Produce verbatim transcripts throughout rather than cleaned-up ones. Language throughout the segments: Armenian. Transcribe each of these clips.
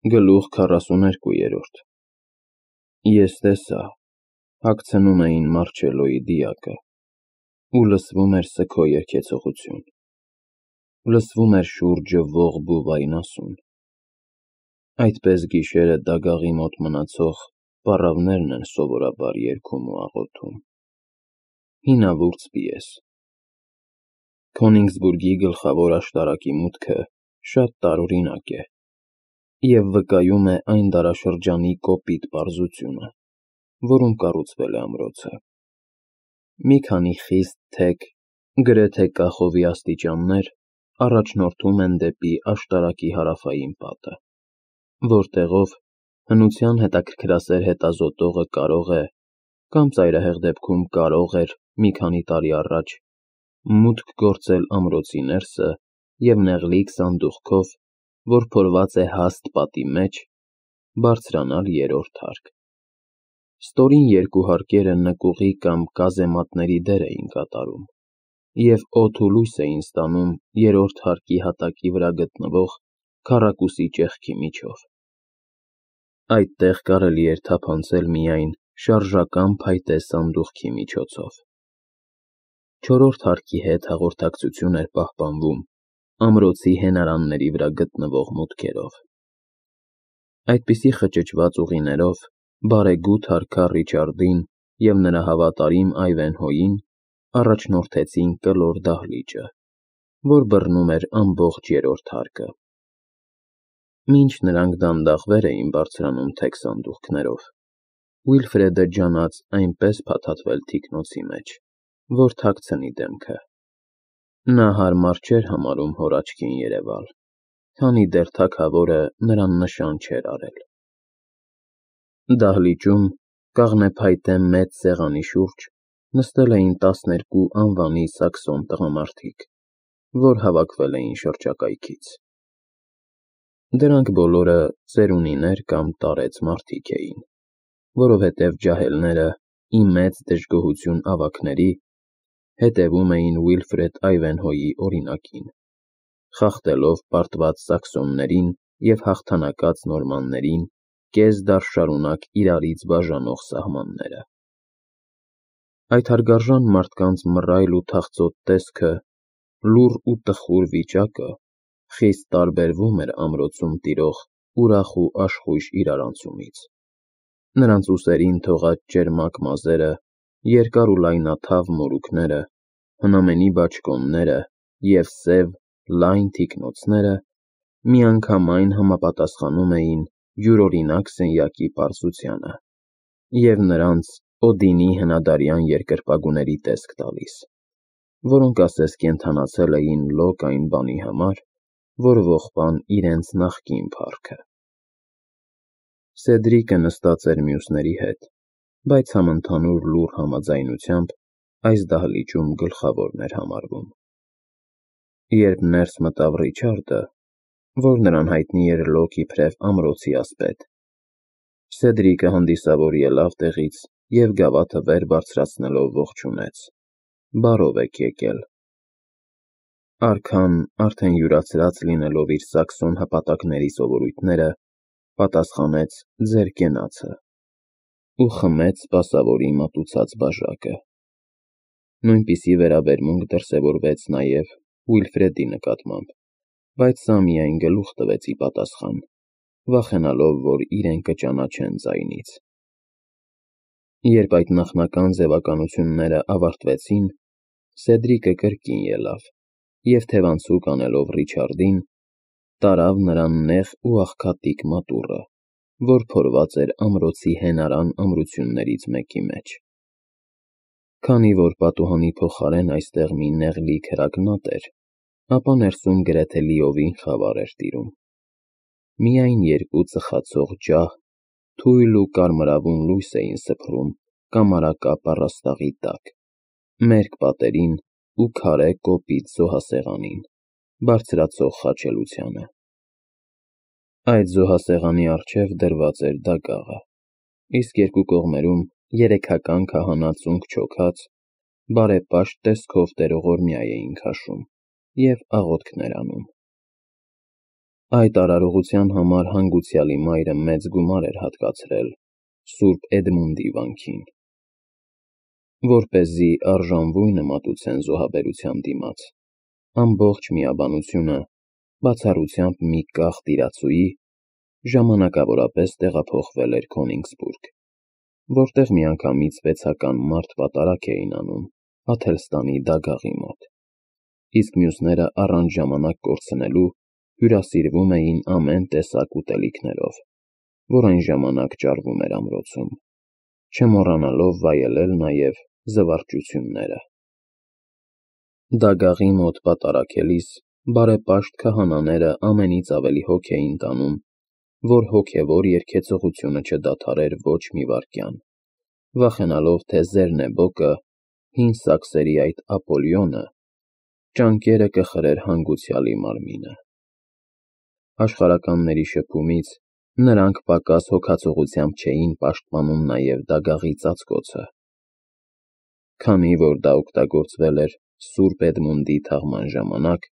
Գլուխ քառասուներկու։ Ես տեսա, հագցնում էին Մարչելլոյի դիակը, ու լսվում էր սգո երգեցողություն, լսվում էր շուրջը ողբ ու վայնասուն, այդպես գիշերը դագաղի մոտ մնացող պառավներն են սովորաբար երգում ու աղոթում։ Հինավուրց պիես։ Քոնիգսբուրգի գլխավոր աշտարակի մուտքը շատ տարօրինակ է և վկայում է այն դարաշրջանի կոպիտ պարզությունը, որում կառուցվել է ամրոցը։ Մի քանի խիստ թեք, գրեթե կախովի աստիճաններ առաջնորդում են դեպի աշտարակի հարավային պատը, որտեղով հնության հետաքրքրասեր հետազոտողը կարող է, կամ ծայրահեղ դեպքում կարող էր մի քանի տարի առաջ, մուտք գործել ամրոցի ներսը և նեղլիկ սանդուղքով, որ փորված է հաստ պատի մեջ, բարձրանալ երրորդ հարկ։ Ստորին երկու հարկերը նկուղի կամ կազեմատների դեր էին կատարում և օդ ու լույս էին ստանում երրորդ հարկի հատակի վրա գտնվող քառակուսի ճեղքի միջով։ Այդտեղ կարելի էր թափանցել միայն շարժական փայտե սանդուղքի միջոցով։ Չորրորդ հարկի հետ հաղորդակցություն էր պահպանվում ամրոցի հենարանների վրա գտնվող մուտքերով։ Այդպիսի խճճված ուղիներով բարեգութ հարքար Ռիչարդին և նրա հավատարիմ Այվենհոյին առաջնորդեցին կլոր դահլիճը, որ բռնում էր ամբողջ երրորդ հարկը։ Մինչ նրանք դանդաղ վեր էին բարձրանում թեք սանդուղքներով, Վիլֆրեդը ջանաց այնպես փաթաթվել թիկնոցի մեջ, որ թաքցնի դեմքը։ Նա հարմար չէր համարում հոր աչքին երևալ, քանի դեռ թագավորը նրան նշան չէր արել։ Դահլիճում, կաղնեփայտե մեծ սեղանի շուրջ նստել էին տասներկու անվանի սաքսոն տղամարդիկ, որ հավաքվել էին շրջակայքից։ Դրանք բոլորը ծերունիներ կամ տարեց մարդիկ էին, որովհետև ջահելները, ի մեծ դժգոհություն ավագների, հետևում էին Վիլֆրեդ Այվենհոյի օրինակին, խախտելով պարտված սաքսոններին և հաղթանակած նորմաններին կես դար շարունակ իրարից բաժանող սահմանները։ Այդ հարգարժան մարդկանց մռայլ ու թախծոտ տեսքը, լուռ ու տխուր վիճակը խիստ տարբերվում էր ամրոցում տիրող ուրախ ու աշխույժ իրարանցումից։ Նրանց ուսերին թողած ճերմակ մազերը, երկար ու լայնաթավ մորուքները, հնամենի բաճկոնները և սև, լայն թիկնոցները միանգամայն համապատասխանում էին յուրօրինակ սենյակի պարզությանը և նրանց Օդինի հնադարյան երկրպագուների տեսք տալիս, որոնք ասես կենդանացել էին լոկ այն բանի համար, որ ողբան իրենց նախկին փառքը։ Սեդրիկը նստած էր մյուսների հետ, բայց համընդհանուր լուռ համաձայնությամբ այս դահլիճում գլխավորն էր համարվում։ Երբ ներս մտավ Ռիչարդը, որ նրան հայտնի էր լոկ իբրև ամրոցի ասպետ, Սեդրիկը հանդիսավոր ելավ տեղից և գավաթը վեր բարձրացնելով ողջունեց. «Բարով եք եկել»։ Արքան, արդեն յուրացրած լինելով իր սաքսոն հպատակների սովորույթները, պատասխանեց ձեր կենացը ու խմեց սպասավորի մատուցած բաժակը։ Նույնպիսի վերաբերմունք դրսևորվեց նաև Վիլֆրեդի նկատմամբ, բայց սա միայն գլուխ տվեց ի պատասխան, վախենալով, որ իրեն կճանաչեն ձայնից։ Երբ այդ նախնական ձևականությունները ավարտվեցին, Սեդրիկը կրկին ելավ և թևանցուկ անելով Ռիչարդին, տարավ նրան նեղ ու աղքատիկ մատուռը, որ փորված էր ամրոցի հենարան ամրություններից մեկի մեջ։ Քանի որ պատուհանի փոխարեն այստեղ մի նեղլիկ հրակնատ էր, ապա ներսում գրեթե լիովին խավար էր տիրում։ Միայն երկու ծխացող ջահ թույլ ու կարմրավուն լույս էին սփռում կամարակապ առաստաղի տակ, մերկ պատերին ու քարե կոպիտ զոհասեղանին, բարձրացող խաչելությանը։ Այդ զոհասեղանի առջև դրված էր դագաղը, իսկ երկու կողմերում երեքական քահանա ծունկ չոքած, բարեպաշտ տեսքով տերողորմյա էին քաշում և աղոթքներ անում։ Այդ արարողության համար հանգուցյալի մայրը մեծ գումար էր հատկացրել Սուրբ Էդմունդի վանքին, որպեսզի արժանվույնը մատուցեն զոհաբերության դիմաց։ Ամբողջ միաբանությունը, բացառությամբ մի կախ տիրացուի, ժամանակավորապես տեղափոխվել էր Քոնիգսբուրգ, որտեղ միանգամից վեցական մարդ պատարագ էին անում Աթելստանի դագաղի մոտ, իսկ մյուսները առանց ժամանակ կորցնելու հյուրասիրվում էին ամեն տեսակ ուտելիքներով, որ այն ժամանակ ճարվում էր ամրոցում, չմոռանալով վայելել նաև զվարճությունները։ Դագաղի մոտ պատարագելիս բարեպաշտ քահանաները ամենից ավելի հոգ էին տանում, որ հոգևոր երգեցողությունը չդադարեր ոչ մի վայրկյան, վախենալով, թե Զեռնեբոկը, հին սաքսերի այդ Ապոլյոնը, ճանկերը կխրեր հանգուցյալի մարմինը։ Աշխարհականների շփումից նրանք պակաս հոգացողությամբ չէին պաշտպանում նաև դագաղի ծածկոցը, քանի որ դա օգտագործվել էր Սուրբ Էդմունդի թաղման ժամանակ,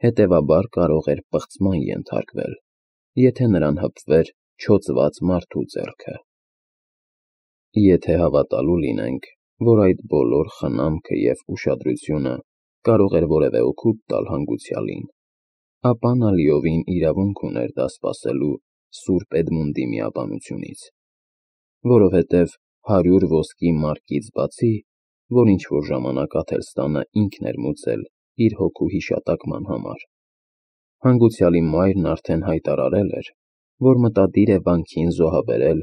հետևաբար կարող էր պղծման ենթարկվել, եթե նրան հպվեր չոծված մարդու ձեռքը։ Եթե հավատալու լինենք, որ այդ բոլոր խնամքը և ուշադրությունը կարող էր որևէ օգուտ տալ հանգուցյալին, ապա նա լիովին իրավունք ուներ դա սպասելու Սուրբ Էդմունդի միաբանությունից, որովհետև հարյուր ոսկի մարկից բացի, որ ինչ-որ ժամանակ Աթելստանը ինքն էր մուծել իր հոգու հիշատակման համար, հանգուցյալի մայրն արդեն հայտարարել էր, որ մտադիր է վանքին զոհաբերել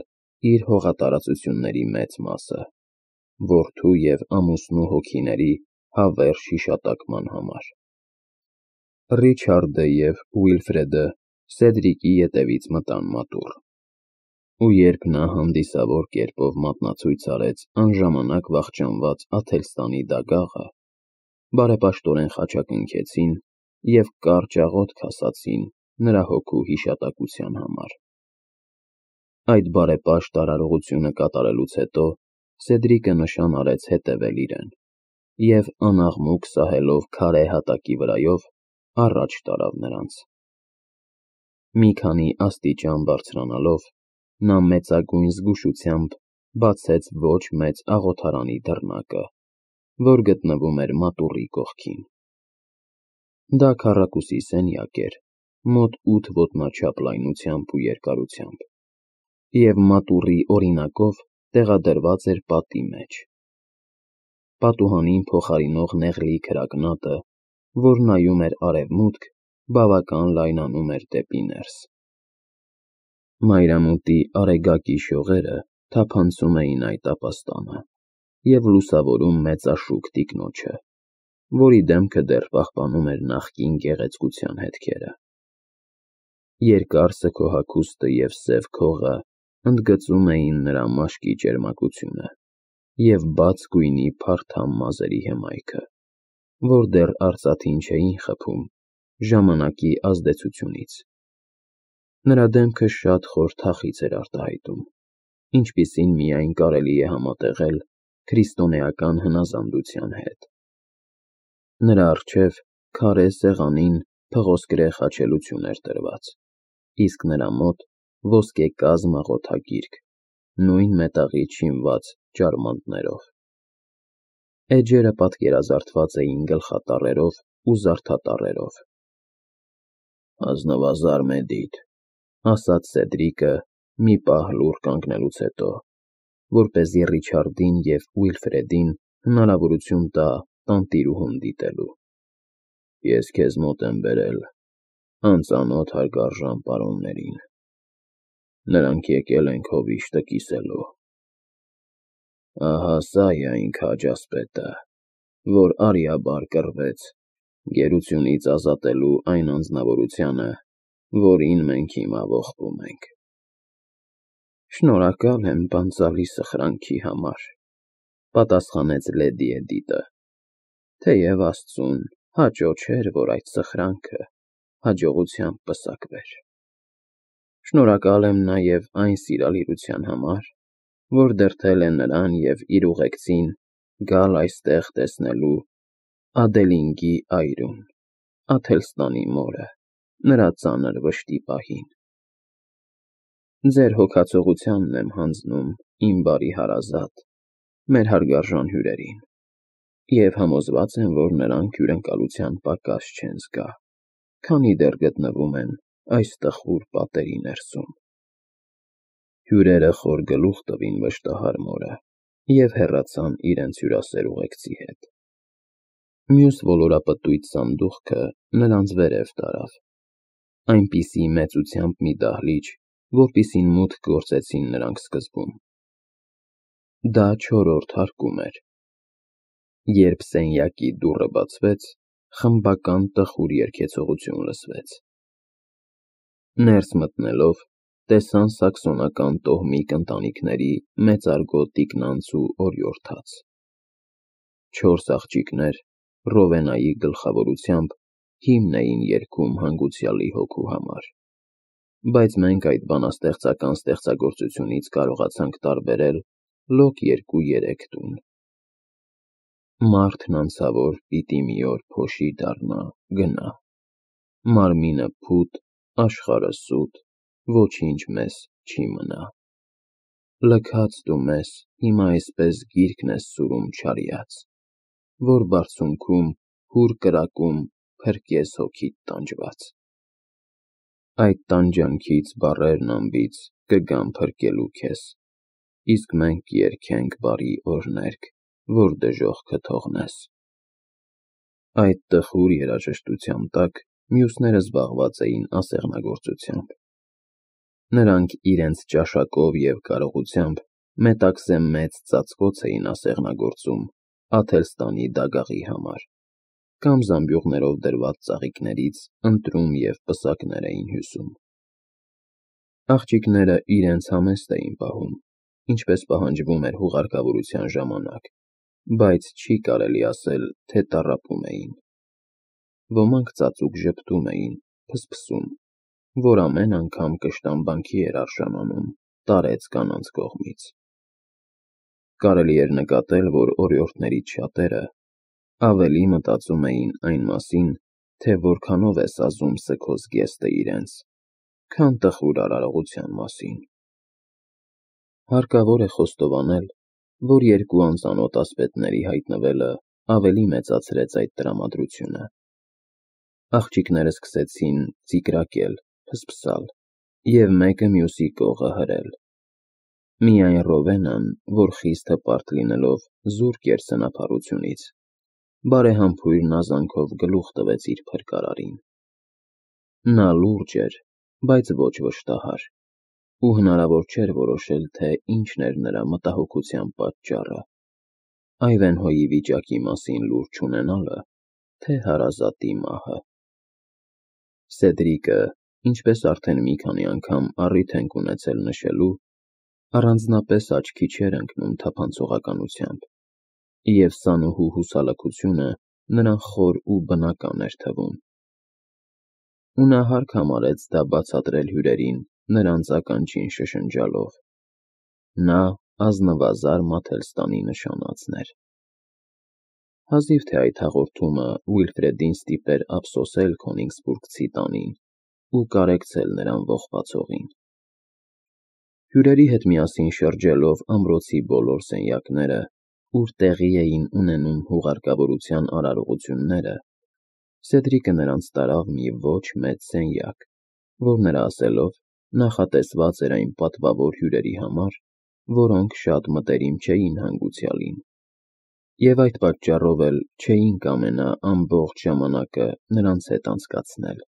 իր հողատարածությունների մեծ մասը, որդու և ամուսնու հոգիների հավերժ հիշատակման համար։ Ռիչարդը և Ուիլֆրեդը Սեդրիկի ետևից մտան մատուռ, ու երբ նա հանդիսավոր կերպով մատնացույց արեց անժամանակ վախճանված Աթելստանի դագաղը, բարեպաշտորեն խաչակնքեցին և կարճ աղոթք ասացին նրա հոգու հիշատակության համար։ Այդ բարեպաշտ արարողությունը կատարելուց հետո Սեդրիկը նշան արեց հետևել իրեն և անաղմուկ սահելով քարե հատակի վրայով առաջ տարավ նրանց։ Մի քանի աստիճան բարձրանալով, նա մեծագույն զգուշությամբ բացեց ոչ մեծ աղոթարանի դռնակը, որ գտնվում էր մատուռի կողքին։ Դա քառակուսի սենյակ էր, մոտ ութ ոտնաչափ լայնությամբ ու երկարությամբ, և մատուռի օրինակով տեղադրված էր պատի մեջ։ Պատուհանին փոխարինող նեղլի քրակնատը, որ նայում էր արևմուտք, բավական լայնանում էր դեպի ներս։ Մայրամուտի արեգակի շողերը թափանցում էին այդ ապաստանը և լուսավորում մեծաշուք տիկնոջը, որի դեմքը դեռ պահպանում էր նախկին գեղեցկության հետքերը։ Երկար սգոհագուստը և սև քողը ընդգծում էին նրա մաշկի ճերմակությունը և բաց գույնի փարթամ մազերի հմայքը, որ դեռ արծաթին չէին խփում ժամանակի ազդեցությունից։ Նրա դեմքը շատ խոր թախիծ էր արտահայտում, ինչպիսին միայն կարելի է համատեղել քրիստոնեական հնազանդության հետ։ Նրա առջև քարե սեղանին փղոսկրե խաչելություն էր դրված, իսկ նրա մոտ ոսկեկազմ աղոթագիրք, նույն մետաղից շինված ջարմանդներով։ Էջերը պատկերազարդված էին գլխատառերով ու զարդատառերով։ «Ազնվազար Մեդիդ», ասաց Սեդրիկը մի պահ լուռ կանգնելուց հետո, որպեսզի Ռիչարդին և Ուիլֆրեդին հնարավորություն տա տանտիրուհուն դիտելու։ «Ես քեզ մոտ եմ բերել անծանոթ հարգարժան պարոններին։ Նրանք եկել են քո վիշտը կիսելու։ Ահա սա է այն քաջ ասպետը, որ արիաբար կռվեց գերությունից ազատելու այն անձնավորությանը, որին մենք հիմա ողբում ենք»։ «Շնորհակալ եմ բանտալի սխրանքի համար», պատասխանեց լեդի Էդիտը, թեև Աստծուն հաճո չէր, որ այդ սխրանքը հաջողությամբ պսակվեր։ «Շնորհակալ եմ նաև այն սիրալիրության համար, որ դրդել է նրան և իր ուղեկցին գալ այստեղ տեսնելու Ադելինգի այրուն, Աթելստանի մորը, նրա ծանր վշտի պահին։ Ձեր հոգացողությանն եմ հանձնում, իմ բարի հարազատ, մեր հարգարժան հյուրերին, և համոզված եմ, որ նրանք հյուրընկալության պակաս չեն զգա, քանի դեռ գտնվում են այս տխուր պատերի ներսում։ Հյուրերը խոր գլուխ տվին վշտահար մորը և հեռացան իրենց հյուրասեր ուղեկցի հետ։ Մյուս ոլորապտույտ սանդուղքը նրանց վերև տարավ, այնպիսի մեծությամբ մի դահլիճ, որպիսին մուտք գործեցին նրանք սկզբում։ Դա չորրորդ հարկում էր։ Երբ սենյակի դուռը բացվեց, խմբական տխուր երգեցողություն լսվեց։ Ներս մտնելով, տեսան սաքսոնական տոհմիկ ընտանիքների մեծարգո տիկնանց ու օրիորդաց։ Չորս աղջիկներ Ռովենայի գլխավորությամբ հիմն էին երգում հանգուցյալի հոգու համար, բայց մենք այդ բանաստեղծական ստեղծագործությունից կարողացանք տարբերել լոկ երկու-երեք տուն։ Մարդն անցավոր պիտի մի օր փոշի դառնա, գնա, մարմինը փութ, աշխարհը սուտ, ոչինչ մեզ չի մնա։ Լքած դու մեզ հիմա այսպես գիրկն ես սուրում չարյաց, որ բարձունքում հուր կրակում փրկես հոգիդ տանջված։ Այդ տանջանքից բառերն անբիծ կգան փրկելու քեզ, իսկ մենք երգենք բարի օրհներգ, որ դժոխքը թողնես։ Այդ տխուր երաժշտության տակ մյուսները զբաղված էին ասեղնագործությամբ։ Նրանք իրենց ճաշակով և կարողությամբ մետաքսե մեծ ծածկոց էին ասեղնագործում Աթելստանի դագաղի համար, կամ զամբյուղներով դրված ծաղիկներից ընտրում և պսակներ էին հյուսում։ Աղջիկները իրենց համեստ էին պահում, ինչպես պահանջվում էր հուղարկավորության ժամանակ, բայց չի կարելի ասել, թե տառապում էին։ Ոմանք ծածուկ ժպտում էին, փսփսում, որ ամեն անգամ կշտամբանքի էր արժանանում տարեց կանանց կողմից։ Կարելի էր նկատել, որ օրիորդներից շատերը ավելի մտածում էին այն մասին, թե որքանով է սազում սգո զգեստը իրենց, քան տխուր արարողության մասին։ Հարկավոր է խոստովանել, որ երկու անծանոթ ասպետների հայտնվելը ավելի մեծացրեց այդ տրամադրությունը։ Աղջիկները սկսեցին ծիկրակել, փսփսալ և մեկը մյուսի կողը հրել։ Միայն Ռովենան, որ խիստ հպարտ լինելով զուրկ էր սնափառությունից, բարեհամբույր նազանքով գլուխ տվեց իր փրկարարին։ Նա լուրջ էր, բայց ոչ վշտահար, ու հնարավոր չէր որոշել, թե ինչն էր նրա մտահոգության պատճառը՝ Այվենհոյի վիճակի մասին լուր չունենալը, թե հարազատի մահը։ Սեդրիկը, ինչպես արդեն մի քանի անգամ առիթ ենք ունեցել նշելու, առանձնապես աչքի չէր ընկնում թափանցողականությամբ, և սանուհու հուսալքությունը նրան խոր ու բնական էր թվում։ Ու նա հարկ համարեց դա բացատրել հյուրերին նրանց ականջին շշնջալով. նա ազնվազար Մաթելստանի նշանածն էր։ Հազիվ թե այդ հաղորդումը Ուիլֆրեդին ստիպեր ափսոսել Քոնիգսբուրգցի տանին ու կարեկցել նրան ողբացողին։ Հյուրերի հետ միասին շրջելով ամրոցի բոլոր սենյակները, ուր տեղի էին ունենում հուղարկավորության արարողությունները, Սեդրիկը նրանց տարավ մի ոչ մեծ սենյակ, որ նրա ասելով նախատեսված էր այն պատվավոր հյուրերի համար, որոնք շատ մտերիմ չէին հանգուցյալին, և այդ պատճառով էլ չէին կամենա ամբողջ ժամանակը նրանց հետ անցկացնել,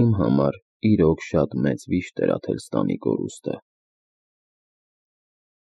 ում համար իրոք շատ մեծ վիշտ էր Աթելստանի կորուստը։